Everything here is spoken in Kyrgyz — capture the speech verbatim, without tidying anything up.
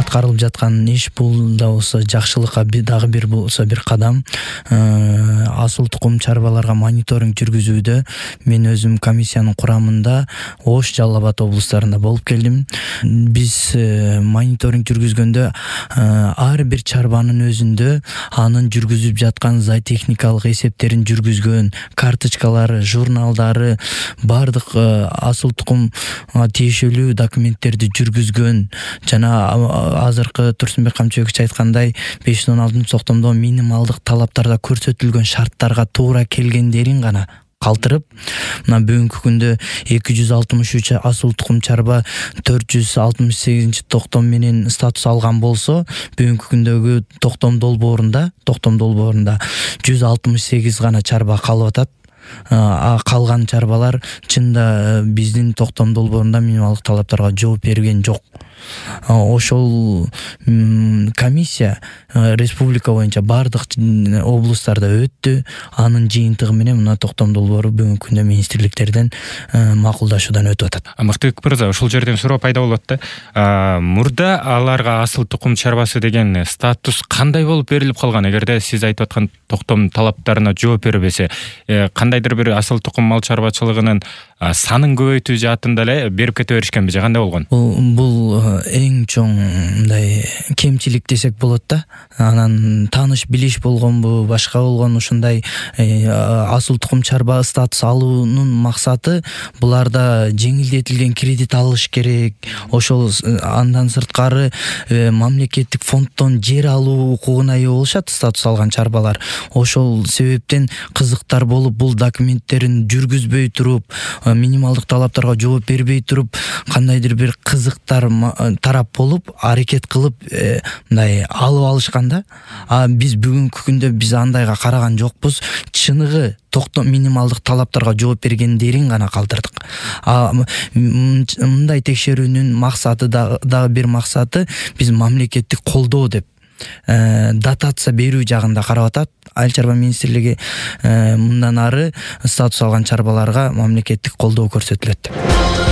аткарылып жаткан иш бул да болсо жакшылыкка дагы бир болсо бир кадам. Асыл тукум чарбаларга мониторинг жүргүзүүдө мен өзүм комиссиянын курамында Ош, Жалал Абад облустарында болуп келдим. Биз мониторинг жүргүзгөндө ар бир чарбанын өзүндө анын жүргүзүп жаткан зоотехникалык эсептерин жүргүзгөн, карточкалары, журналдары, бардык асыл тукум тиешелүү документтерди жүргүзгөн жана азыркы Турсунбек Камчыбекович айткандай беш жүз он алтынчы токтомдо минималдык талаптарда көрсөтүлгөн шарттарга туура келгендерин гана калтырып, мына бүгүнкү күндө эки жүз алтымыш үч асыл тукум чарба төрт жүз алтымыш сегизинчи токтом менен статус алган болсо, бүгүнкү күндөгү токтом долбоорунда, токтом долбоорунда жүз алтымыш сегиз гана чарба калып атат. А калган чарбалар чында биздин токтом долбоорунда минималдык талаптарга жооп берген жок. Ошол комиссия республика боюнча бардык облустарда өттү. Анын жыйынтыгы менен мына токтом долбоору бүгүнкү күндө министрликтерден макулдашуудан өтүп атат. Мыктыбек мырза, ушул жерден суроо пайда болот да. Мурда аларга асыл тукум чарбасы деген статус кандай болуп берилип калган? Эгерде сиз айтып аткан токтом талаптарына жооп бербесе, кандайдыр бир асыл тукум мал чарбачылыгынын санын көбөйтүү жаатында эле берип кете беришкенби же кандай болгон? Бул эң чоң мындай кемчилик десек болот да. Анан тааныш билиш болгонбу, башка болгон ушундай асыл тукум чарба статус алуунун максаты буларда жеңилдетилген кредит алыш керек. Ошол андан сырткары мамлекеттик фонддон жер алуу укугуна ээ болушат статус алган чарбалар. Ошол себептен кызыктар болуп бул документтерин жүргүзбөй туруп, минималдык талаптарга жооп бербей туруп, кандайдыр бир кызыктар тарап болуп, аракет кылып мындай алып алышканда, а биз бүгүнкү күндө биз андайга караган жокпуз. Чыныгы токтом минималдык талаптарга жооп бергендерин гана калтырдык. А мындай текшерүүнүн максаты дагы бир максаты биз мамлекеттик колдоо деп дотация берүү жагында карап атат. Айыл чарба министрлиги мындан ары статус алган чарбаларга мамлекеттик колдоо көрсөтүлөт деп.